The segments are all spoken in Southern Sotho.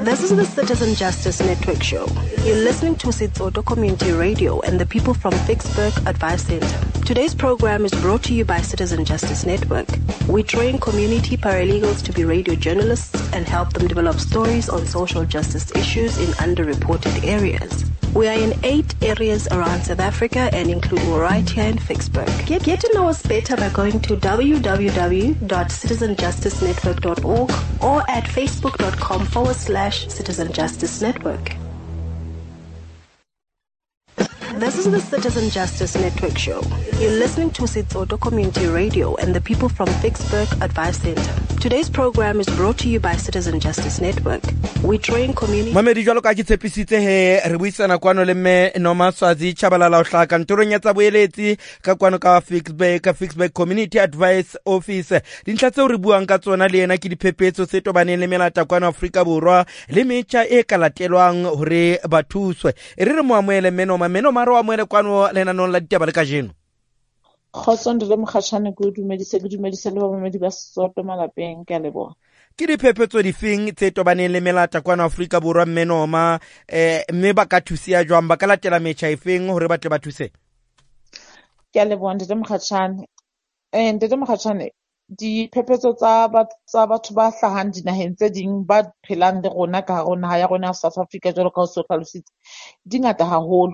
This is the Citizen Justice Network show. You're listening to Setsoto Community Radio and the people from Ficksburg Advice Center. Today's program is brought to you by Citizen Justice Network. We train community paralegals to be radio journalists and help them develop stories on social justice issues in underreported areas. We are in 8 areas around South Africa and including right here in Ficksburg. Get to know us better by going to www.citizenjusticenetwork.org or at facebook.com/Citizen Justice Network. This is the Citizen Justice Network show. You're listening to Setsoto Community Radio and the people from Ficksburg Advice Center. Today's program is brought to you by Citizen Justice Network. We train community... Mamedi jwalo ka ke tshepisitse he re buisana kwano le mme Noma Swazi Tshabalala o hlaha kantorong ya tsa boeletsi ka kwano ka Ficksburg, ka Ficksburg Community Advice Office. Dintlha tseo re buang ka tsona le yena ke diphephetso tse tobaneng le melata kwano Afrika Borwa le metjha e ka latelwang hore ba thuswe. E re re mo amohele mme Noma, mme Noma re o amohele kwano lenanong la ditaba le kajeno. Kgotso Ntate Mokgatjhane, ke o dumedise, ke dumedise le bamamedi ba Sesotho malapeng, ke a leboha. Ke diphephetso difeng tse tobaneng le melata kwano Afrika Borwa mme Noma, mme ba ka thusiwa jwang, ba ka latela metjha efeng hore ba tle ba thuse? Ke a leboha Ntate Mokgatjhane. Ntate Mokgatjhane, diphephetso tsa batho ba hlahang dinaheng tse ding ba phelang le rona ka hare ho naha ya rona ya South Africa jwalo ka ha o so hlalositse, di ngata haholo.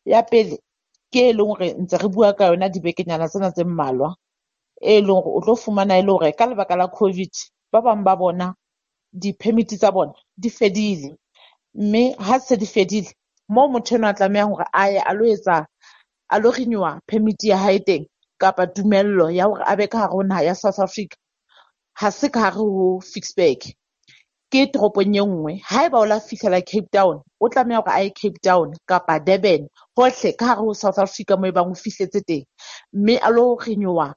Ya pele ke e leng hore ntse re bua ka yona dibekenyana tsena tse mmalwa, e leng hore o tlo fumana e le hore ka lebaka la COVID ba bang ba bona di-permit tsa bona di fedile, mme ha se di fedile moo motho enwa a tlamehang hore a ye a lo etsa, a lo renewa permit ya hae teng kapa tumello ya hore a be ka hare ho naha ya South Africa, ha se ka hare ho Ficksburg, ke toropong e nngwe. Haeba o la fihlela Cape Town, o tlameha hore a ye Cape Town kapa Durban, hohle ka hare ho South Africa moo e bang o fihletse teng, mme a lo renewa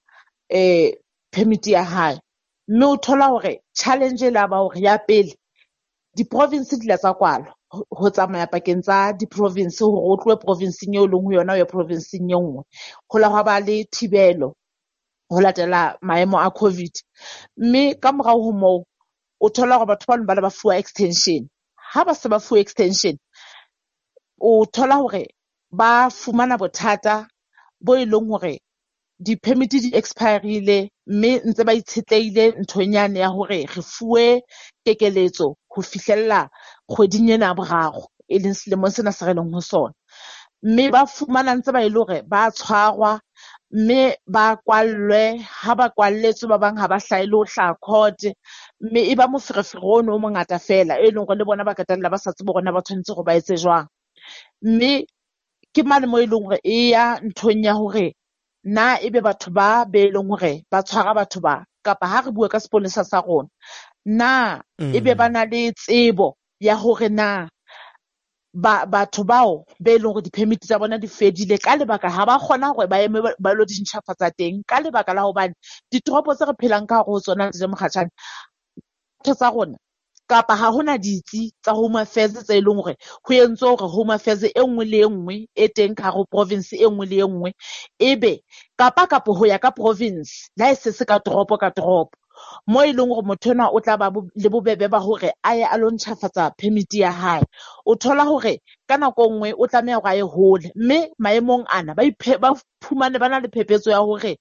permit ya hae. Mme o thola hore challenge e la ba hore ya pele di-province di la tsa kwalwa ho tsamaya pakeng tsa di-province, hore o tlohe provinceng eo leng ho yona o ye provinceng e nngwe, ho la hwa ba le thibelo ho latela maemo a COVID. Mme ka morao ho moo o thola hore batho bano ba le ba fuwa extension. Ha ba se ba fuwe extension, o thola hore ba fumana bothata bo e leng hore di-permit di expirile, mme ntse ba itshetlehile nthong yane ya hore re fuwe kekeletso ho fihlella kgweding ena ya boraro, e leng selemong sena se re leng ho sona. Mme ba fumana ntse ba e le hore ba tshwarwa, mme ba kwallwe, ha ba kwalletswe ba bang ha ba hlahe le ho hlaha court, mme e ba moferefere ono o mongata fela, e leng hore le bona ba qetella ba sa tsebe hore na ba tshwanetse hore ba etse jwang. Mme ke mane moo e leng hore e ya nthong ya hore na ebe batho ba be leng hore ba tshwara batho ba, kapa ha re bua ka sepolesa sa rona, na ebe ba na le tsebo ya hore na batho bao be leng hore di-permit tsa bona di fedile ka lebaka ha ba kgona hore ba eme ba lo di ntjhafatsa teng, ka lebaka la hobane ditoropo tse re phelang ka hare ho tsona Ntate Mokgatjhane, ntho tsa rona kapa ha hona ditsi tsa Home Affairs tse e leng hore ho entswe hore Home Affairs e nngwe le e nngwe e teng ka hare ho province e nngwe le e nngwe, ebe kapa kapa ho ya ka province, le ha e se se ka toropo ka toropo, mo e leng hore motho enwa o tla ba le bobebe ba hore a ye a lo ntjhafatsa permit ya hae. O thola hore ka nako e nngwe o tlameha hore a ye hole, mme maemong ana ba fumane ba na le phephetso ya hore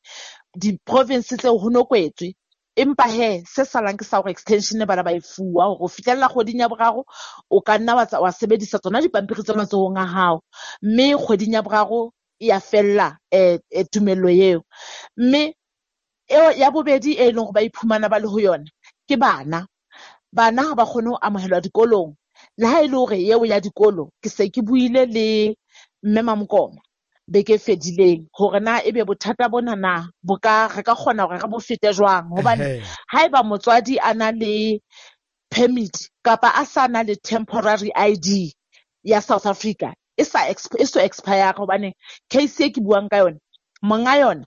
di-province tseo ho no kwetswe. Empa he, se salang ke sa hore extension bana ba e fuwa hore ho fihlella kgweding ya boraro o ka nna wa sebedisa tsona dipampiri tse matsohong a hao, mme kgweding ya boraro e ya fella tumello eo. Mme eo ya bobedi e leng hore ba iphumana ba le ho yona ke bana. Bana ha ba kgone ho amohelwa dikolong, le ha e le hore eo ya dikolo ke se ke buile le mme Mamokoma beke e fedileng hore na ebe bothata bona na bo ka, re ka kgona hore re bo fete jwang, hobane haeba motswadi a na le permit kapa a sa na le temporary ID ya South Africa e sa e so expire, hobane case e ke buang ka yona monga yona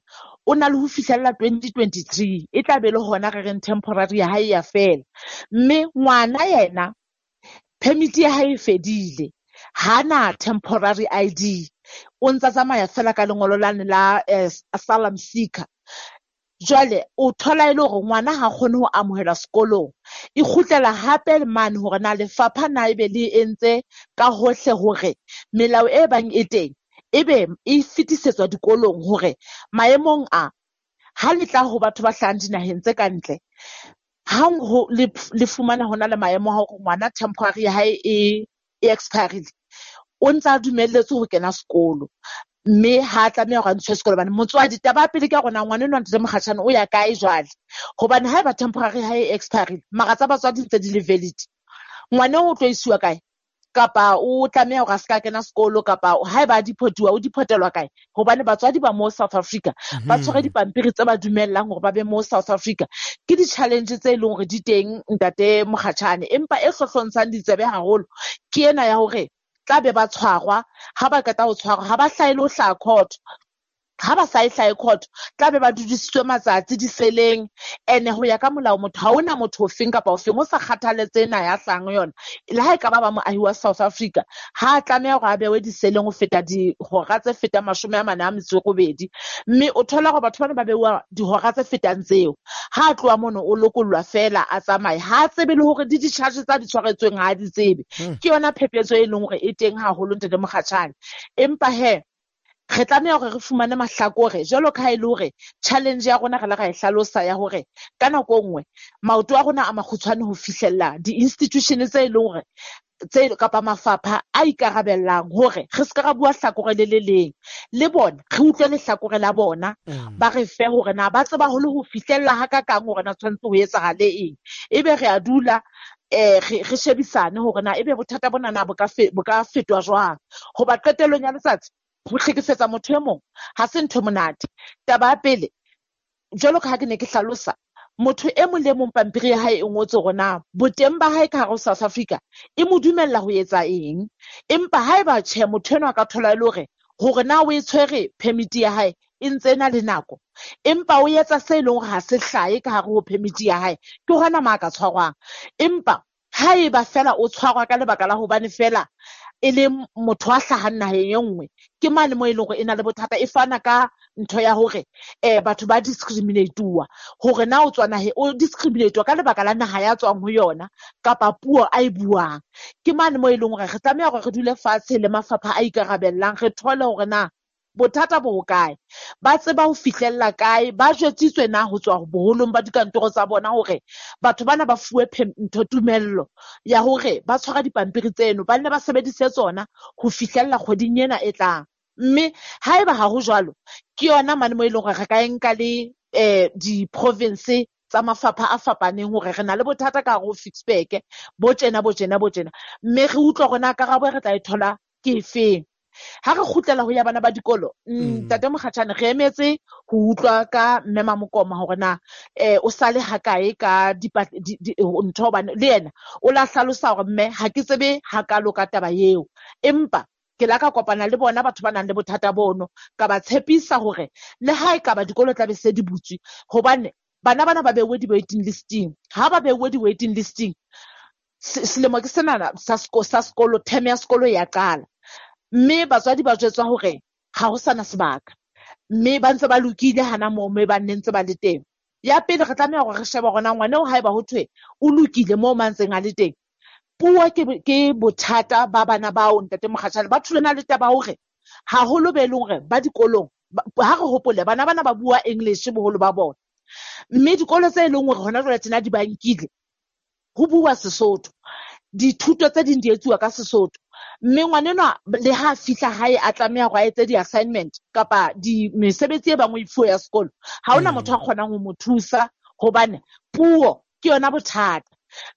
o na le ho fihlella 2023, e tla be le hona re reng temporary ya hae ya fela, mme ngwana yena permit ya hae e fedile, ha na temporary ID, o ntsa tsamaya fela ka lengolo lane la asylum seeker. Jwale o thola e le hore ngwana ha kgone ho amohelwa sekolong, E kgutlela hape mane hore na lefapha na ebe le entse ka hohle hore melao e bang e teng ebe e fetisetswa dikolong hore maemong a ha le tla ho batho ba hlahang dinaheng tse ka ntle, hang ho le fumana hona le maemo a hore ngwana temporary ya hae e expirile, o ntsa dumelletswe ho kena sekolo, mme ha tlameha hore a ntshwe sekolo. Hobane motswadi taba ya pele ke ya rona ngwana enwa ntate Mokgatjhane o ya kae jwale, hobane haeba temporary ha e expirile mara tsa batswadi ntse di le valid, ngwana o tlo isiwa kae? Kapa o tlameha hore a ska kena sekolo, kapa haeba a deportiwa o deportelwa kae? Hobane batswadi ba mo South Africa ba tshwere dipampiri tse ba dumellang hore ba be mo South Africa. Ke di-challenge tse leng hore di teng ntate Mokgatjhane, empa e hlohlontshang ditsebe haholo ke ena ya hore tla be ba tshwarwa, ha ba qeta ho tshwarwa ha ba hlahe le ho hlaha court. Ha ba sa e hlahe court, tla be ba dudisitswe matsatsi diseleng. Ene ho ya ka molao motho ha hona motho ofeng kapa ofeng o sa kgathaletse naha ya hlahang ho yona, le ha e ka ba ba moahi wa South Africa, ha a tlameha hore a bewe diseleng ho feta dihora tse fetang 48. Mme o thola hore batho bana ba beuwa dihora tse fetang tseo. Ha a tloha mono o lokollwa fela a tsamaye, ha a tsebe le hore di di-charge tsa di tshwaretsweng ha a di tsebe. Ke yona phephetso e leng hore e teng haholo ntate Mokgatjhane. Empa he re tlameha hore re fumane mahlakore jwalo ka ha e le hore challenge ya rona re la ra e hlalosa ya hore ka nako e nngwe maoto a rona a makgutshwane ho fihlella di-institution tse e leng hore tse kapa mafapha a ikarabellang hore re ska ra bua hlakore le le leng, le bona re utlwe lehlakore la bona, ba re fe hore na ba tseba ho le ho fihlella ha kakang hore na tshwanetse ho etsahale eng. Ebe re a dula re shebisane hore na ebe bothata bona na bo ka fetwa jwang. Hoba qetellong ya letsatsi ho hlekefetsa motho e mong ha se ntho e monate. Taba ya pele, jwalo ka ha ke ne ke hlalosa, motho e mong le mong pampiri ya hae e ngotswe hore na boteng ba hae ka hare ho South Africa e mo dumella ho etsa eng. Empa haeba tjhe motho enwa a ka thola e le hore na o e tshwere permit ya hae e ntse e na le nako, empa o etsa se e leng hore ha se hlahe ka hare ho permit ya hae, ke hona ma ka tshwarwang. Empa haeba fela o tshwarwa ka lebaka la hobane fela e le motho a hlahang naheng e nngwe, ke mane mo e leng hore e na le bothata, e fana ka ntho ya hore batho ba discriminate-uwa, hore na o tswa naheng, o discriminate-uwa ka lebaka la naha ya tswang ho yona kapa puo a e buang. Ke mane mo e leng hore re tlameha hore re dule fatshe le mafapha a ikarabellang, re thole hore na bothata bo hokae, ba tseba ho fihlella kae, ba jwetsitswe na ho tswa boholong ba dikantoro tsa bona hore batho bana ba fuwe ntho tumello ya hore ba tshwara dipampiri tseno, ba nne ba sebedise tsona ho fihlella kgweding ena e tlang. Mme haeba ha ho jwalo, ke yona mane mo e leng hore re ka e nka le di-province tsa mafapha a fapaneng hore re na le bothata ka hare ho Ficksburg, bo tjena, bo tjena, bo tjena. Mme re utlwa hore na karabo e re tla e thola ke efeng. Ha re kgutlela ho ya bana ba dikolo, ntate Mokgatjhane, re emetse ho utlwa ka mme Mamokoma hore na o sale hakae ka ntho, hobane le yena o la hlalosa hore mme ha ke tsebe hakalo ka taba eo, empa ke la ka kopana le bona batho ba nang le bothata bono, ka ba tshepisa hore le ha e ka ba dikolo tla be se di butswe, hobane bana bana ba beuwe di-waiting listing. Ha ba beuwe di-waiting listing, selemo ke senana sa sekolo, term ya sekolo ya qala, mme batswadi ba jwetswa hore ha ho sana sebaka, mme ba ntse ba lokile hana moo mme ba nne ntse ba le teng. Ya pele re tlameha hore re shebe hore na ngwana eo haeba ho thwe o lokile moo mantseng a le teng, puo ke bothata ba bana bao ntate Mokgatjhane. Ba thulana le taba hore haholo be leng hore ba dikolong, ha re hopole bana bana ba bua English boholo ba bona, mme dikolo tse leng hore hona jwale tjena di ba nkile ho bua Sesotho, dithuto tse ding di etsuwa ka Sesotho. Mme ngwanenwa le ha fihla hae a tlameha hore a etse di-assignment kapa mesebetsi e bang o e fuwe ya sekolo, ha hona motho a kgonang ho mo thusa hobane puo ke yona bothata.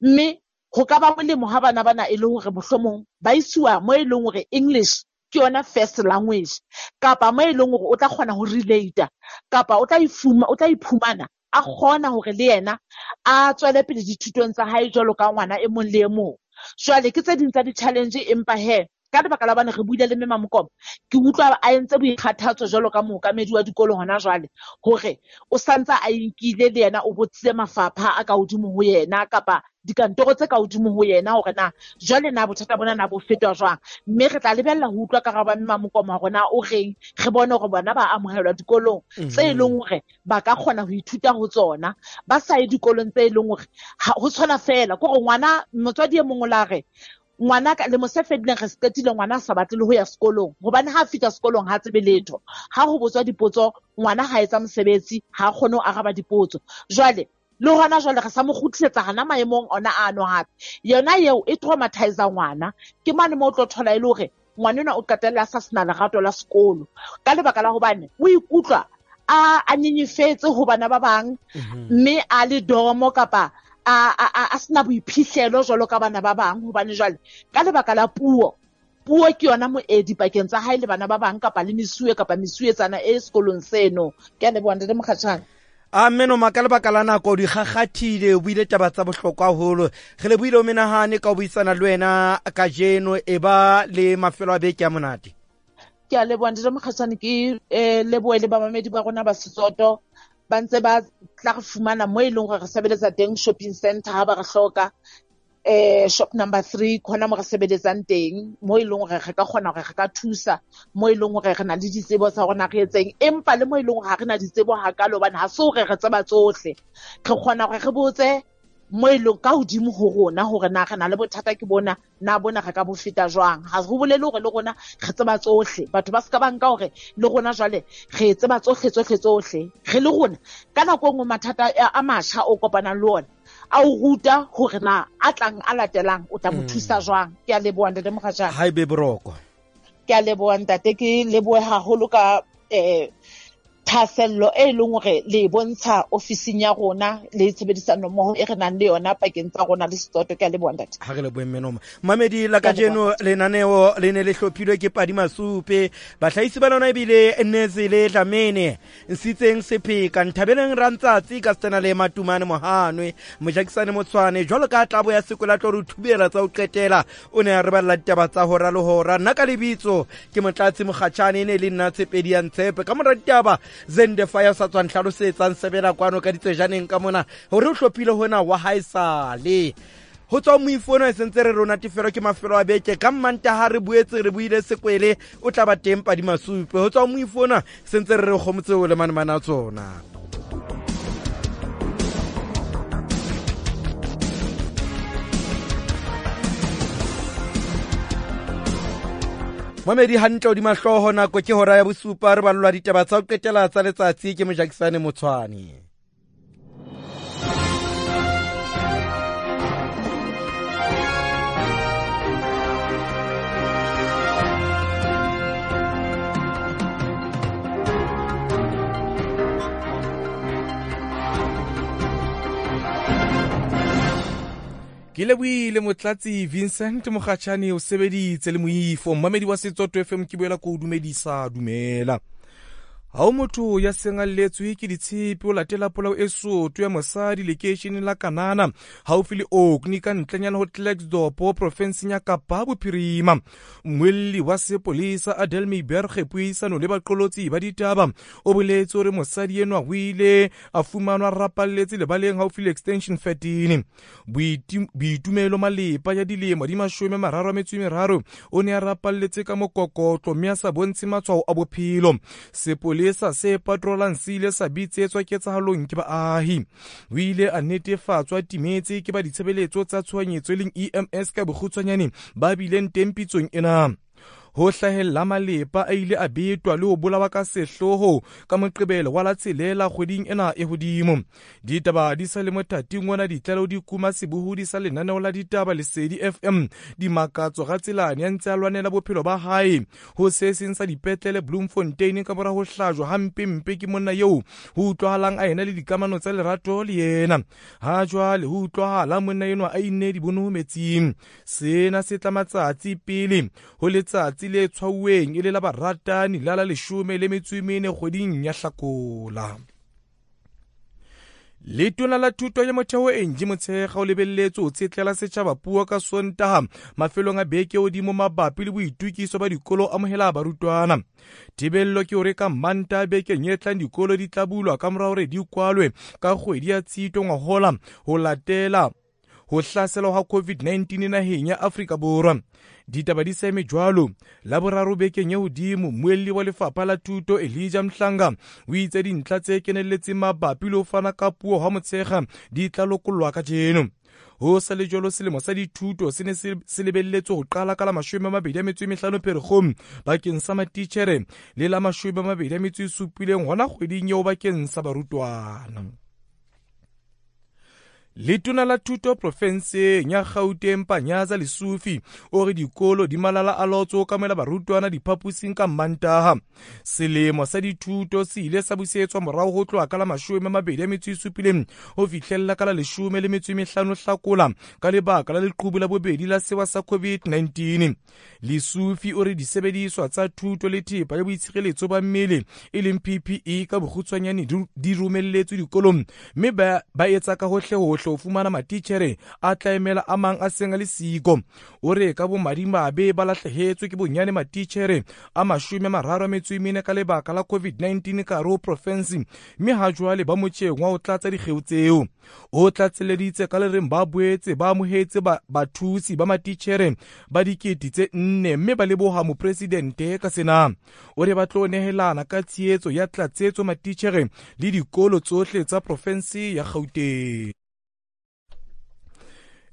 Mme ho ka ba molemo ha bana bana e le hore mohlomong ba isiwa mo e leng hore English ke yona first language, kapa mo e leng hore o tla kgona ho relate-a, kapa o tla iphumana a kgona hore le yena a tswele pele dithutong tsa hae jwalo ka ngwana e mong le e mong. Jwale ke tse ding tsa di-challenge, empa he ka lebaka la hobane re buile le mme Mamokoma, ke utlwa a entse boikgathatso jwalo ka mookamedi wa dikolo hona jwale, hore o santsa a inkile le yena o botsitse mafapha a ka hodimo ho yena kapa dikantoro tse ka hodimo ho yena hore na jwale na bothata bona na bo fetwa jwang. Mme re tla lebella ho utlwa karabo ya Mme Mokoma hore na o reng, re bone hore bona ba amohelwa dikolong tse e leng hore ba ka kgona ho ithuta ho tsona, ba sa ye dikolong tse e leng hore ho tshwana fela. Ke hore ngwana motswadi e mong o la re ngwana ka lemo se fedileng re se qetile ngwana a sa batle le ho ya sekolong, hobane ha a fihla sekolong ha tsebe letho. Ha ho botswa dipotso ngwana ha etsa mosebetsi, ha kgone ho araba dipotso. Jwale le hona jwale re sa mo kgutlisetsa hana maemong ona ano hape. Yona eo e traumatize ngwana. Ke mane moo o tlo thola e le hore ngwana enwa o qetella a sa sena lerato la sekolo ka lebaka la hobane o ikutlwa a nyenyefetse ho bana ba bang, mme a le domo kapa a sena boiphihlelo jwalo ka bana ba bang, hobane jwale ka lebaka la puo ke yona moedi pakeng tsa hae le bana ba bang kapa le mesuwe kapa mesuwetsana e sekolong seno. Ke a leboha Ntate Mokgatjhane. A Mmenoma, ka lebaka la nako di kgakgathile, o buile taba tsa bohlokwa haholo. Re lebohile o menahane ka ho buisana le wena kajeno. E ba le mafelo a beke a monate. Ke a leboha Ntate Mokgatjhane, ke lebohe le bamamedi ba rona ba Setsoto ba ntse ba tla re fumana mo e leng hore re sebeletsa teng shopping center ha ba re hloka, shop number 3 khona mo re sebeletsang teng, mo e leng hore re ka kgona hore re ka thusa, mo e leng hore re na le ditsebo tsa rona re etseng, empa le mo e leng hore ha re na ditsebo hakalo hobane ha se hore re tseba tsohle. Re kgona hore re botse mo e leng ka hodimo ho rona hore na re na le bothata ke bona, na bona re ka bo feta jwang. Ha ho bolele hore le rona re tseba tsohle. Batho ba ska ba nka hore le rona jwale re tseba tsohle tsohle tsohle. Re le rona ka nako e nngwe mathata a matjha o kopanang le ona a o ruta hore na a tlang a latelang o tla mo thusa jwang. Ke a leboha Ntate Mokgatjhane. Ha ebe boroko. Ke a leboha ntate, ke lebohe haholo ka thahasello e leng hore le bontsha ofising ya rona le tshebedisano mmoho e re nang le yona pakeng tsa rona le Setsoto. Ke a leboha ntate. Ha re lebohe Mmenoma. Mamedi la kajeno lenaneo le ne le hlophilwe ke Padi Masupe, bahlahisi ba lona ebile Nezile Dlamini, Nsitseng Sepheka, Nthabeleng Rantsatsi ka setena le Matumane Mohanwe, Mojakisane Motshwane jwalo ka tlabo ya sekola tlo re thubela tsa ho qetela. O ne a re balla ditaba tsa hora le hora. Nna ka lebitso ke Motlatsi Mokgatjhane, e ne le nna Tshepedi ya Ntshepe. Ka mora ditaba Zende Fire sa tswang hlalosetsang sebela kwano ka ditsejaneng ka mona hore o hlophile hona wa haesale. Ho tswa moifo ona e sentse re rona tefelo ke mafelo a beke ka Mmantaha re boetse re buile sekwele o tla ba teng Padi Masupe. Ho tswa moifo ona sentse re re kgomotse o le manemane a tsona. Mamedi hantle hodima hlooho, nako ke hora ya bosupa, re ballwa ditaba tsa ho qetela tsa letsatsi ke Mojakisane Motshwane. Ke lebohile Motlatsi Vincent Mokgatjhane, o sebeditse le moifo. Mmamedi wa Setsoto FM, ke boela ko o dumedisa, dumela. Ha o motho ya seng a lletswe ke ditshepe o latela polao e soto ya mosadi lekeisheneng la Kanana haufi le Orkney ka ntlenyana ho Klerksdorp profenseng ya Kapa Bophirima. Mmuelli wa sepolesa Adel Meiberg puisano le baqolotsi ba ditaba o boletse hore mosadi enwa o ile a fumanwa rapalletse lebaleng haufi le Extension 13. Boitumelo Malepa ya dilemo di 33 o ne a rapalletse ka mokokotlo mme a sa bontshe matshwao a bophelo. Sepolesa se patrolang se ile sa bitsetswa ketsahalong ke baahi. O ile a netefatswa timetse ke ba ditshebeletso tsa tshohanyetso e leng EMS ka bokgutshwanyane ba bileng teng pitsong ena. Ho hlahella Malepa a ile a betwa le ho bolawa ka sehloho ka Moqebelo wa la 6 kgweding ena e hodimo. Ditaba di sa le mothating ona, ditlaleho di kuma sebohodi sa lenaneo la ditaba Lesedi FM Dimakatso Ratselane ya ntse a lwanela bophelo ba hae ho se seng sa dipetlele Bloemfontein ka mora ho hlajwa hampempe ke monna eo ho utlwahalang a ena le dikamano tsa lerato le yena. Ha jwale ho utlwahala monna enwa a inne dibono metsing. Sena se tla matsatsi pele ho letsatsi le tshwauweng e le la baratani la la 14 kgweding ya Hlakola. Letona la thuto ya motheo Angie Motshekga o lebelletse ho tshetlela setjhaba puo ka Sontaha mafelong a beke hodimo mabapi le boitukiso ba dikolo amohela barutwana. Thibello ke hore ka Mantaha bekeng e tlang dikolo di tla bulwa ka mora hore di kwalwe ka kgwedi ya Tshitwe ngwahola ho latela ho hlaselwa ha COVID-19 naheng ya Afrika Borwa. Ditaba di sa eme jwalo. Laboraro bekeng e hodimo, mmuelli wa lefapha la thuto Elijah Mhlanga o itse dintlha tse kenelletseng mabapi le ho fana ka puo ha motshekga di tla lokollwa kajeno. Ho sa le jwalo, selemo sa dithuto se ne se lebelletswe ho qala ka la 25 Pherekgong bakeng sa matitjhere le la 27 hona kgweding eo bakeng sa barutwana. Letona la thuto profenseng ya Gauteng Panyaza Lesufi o re dikolo di malala a laotswe ho kamohela barutwana diphaposing ka Mmantaha. Selemo sa dithuto se ile sa busetswa morao ho tloha ka la 27 ho fihlella ka la 15 Hlakola ka lebaka la leqhubu la bobedi la sewa sa COVID-19. Lesufi o re disebediswa tsa thuto le thepa ya boitshireletso ba mmele e leng PPE ka bokgutshwanyane di romelletswe dikolong, mme ba etsa ka hohle hohle ho fumana matitjhere a tla emela a mang a seng a le siko. O re ka bomadimabe ba lahlehetswe ke bonyane matitjhere a 34 ka lebaka la COVID-19 ka hare ho profensi, mme ha jwale ba motjheng wa ho tlatsa dikgeo tseo. O tlatseleditse ka le reng ba boetse ba amohetse bathusi ba matitjhere ba 4,000 mme ba leboha mopresidente ka sena. O re ba tlo nehelana ka tshehetso ya tlatsetso matitjhere le dikolo tsohle tsa profensi ya Gauteng.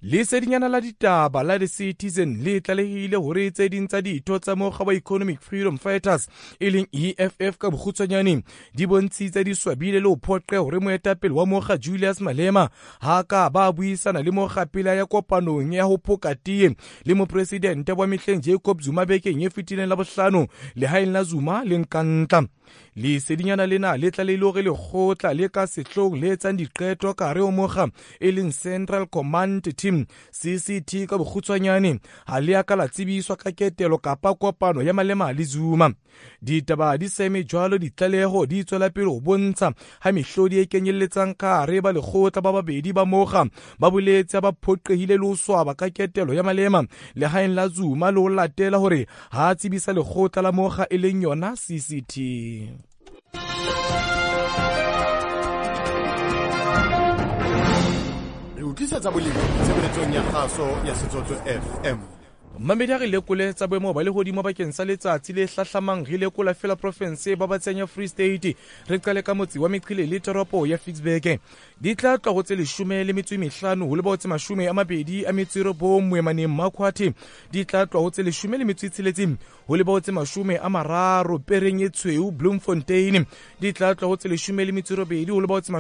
Lesedinyana la ditaba la The Citizen le tlalehile hore tse ding tsa ditho tsa mokga wa Economic Freedom Fighters e leng EFF ka bokgutshwanyane di bontshitse di swabile le ho phoqe hore moetapele wa mokga Julius Malema ha ka ba buisana le mokga pele ya kopanong ya ho phoka tee le mopresidente wa mehleng Jacob Zuma bekeng e fetileng la bohlano lehaeng la Zuma le Nkandla. Lesedinyana lena le tlalehile hore lekgotla le ka sehloohong le etsang diqeto ka hare ho mokga e leng Central Command Team CCT ka bokgutshwanyane ha le a ka la tsebiswa ka ketelo kapa kopano ya Malema le Zuma. Ditaba di sa eme jwalo, ditlaleho di tswela pele ho bontsha ha mehlodi e kenyelletsang ka hare ba lekgotla ba babedi ba mokga ba boletse ba phoqehile le ho swaba ka ketelo ya Malema lehaeng la Zuma le ho latela hore ha tsebisa lekgotla la mokga e leng yona CCT. Re utlwisetsa boleng tshebeletsong ya kgaso ya Setsotso FM. Mmamedi a re lekole tsa boemo ba lehodimo bakeng sa letsatsi le hlahlamang. Re lekola fela profense ba batseng ya Free State. Re qale ka motse wa Meqile le toropo ya Ficksburg. Di tla tloha ho tse 15 ho leba ho tse 29 Moemaneng Makhwathe. Di tla tloha ho tse 16 ho leba ho tse 30 Pereng e Tshweu Bloemfontein. Di tla tloha ho tse 18 ho leba ho tse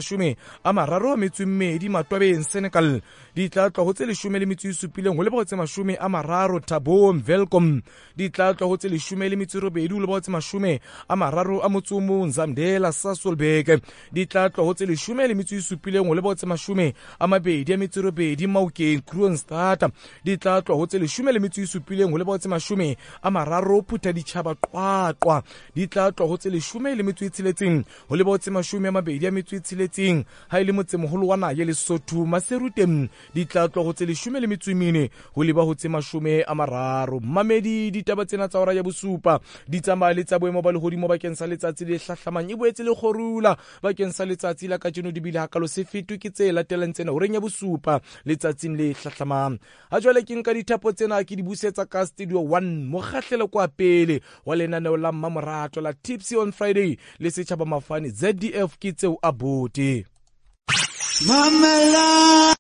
32 Matwabeng Senekal. Di tla tloha ho tse 17 ho leba ho tse 30 Thabong Welkom. Di tla tloha ho tse 18 ho leba ho tse 31 Zamdela Sasolburg. Di tla tloha ho tse 17 ho leba ho tse 28 Maokeng Kroonstad. Di tla tloha ho tse 17 ho leba ho tse 30 Phuthaditjhaba Qwaqwa. Di tla tloha ho tse 16 ho leba ho tse 26 ha e le motsemoholo wa naha ya Lesotho Maseru teng. Di tla tloha ho tse 14 ho leba ho tse 30. Mamedi, ditaba tsena tsa hora ya bosupa di tsamaya le tsa boemo ba lehodimo bakeng sa letsatsi le hlahlamang e boetse le kgorula bakeng sa letsatsi la kajeno di bile hakalo se fetwe ke tse latelang tsena horeng ya bosupa letsatsing le hlahlamang. Ha jwale ke nka dithapo tsena ke di busetsa ka Studio 1 mokgahlelo kwa pele wa lenaneo la Mmamorato la Tipsy on Friday le Setjhaba Mafane ZDF ke tseo a bote. Mamela.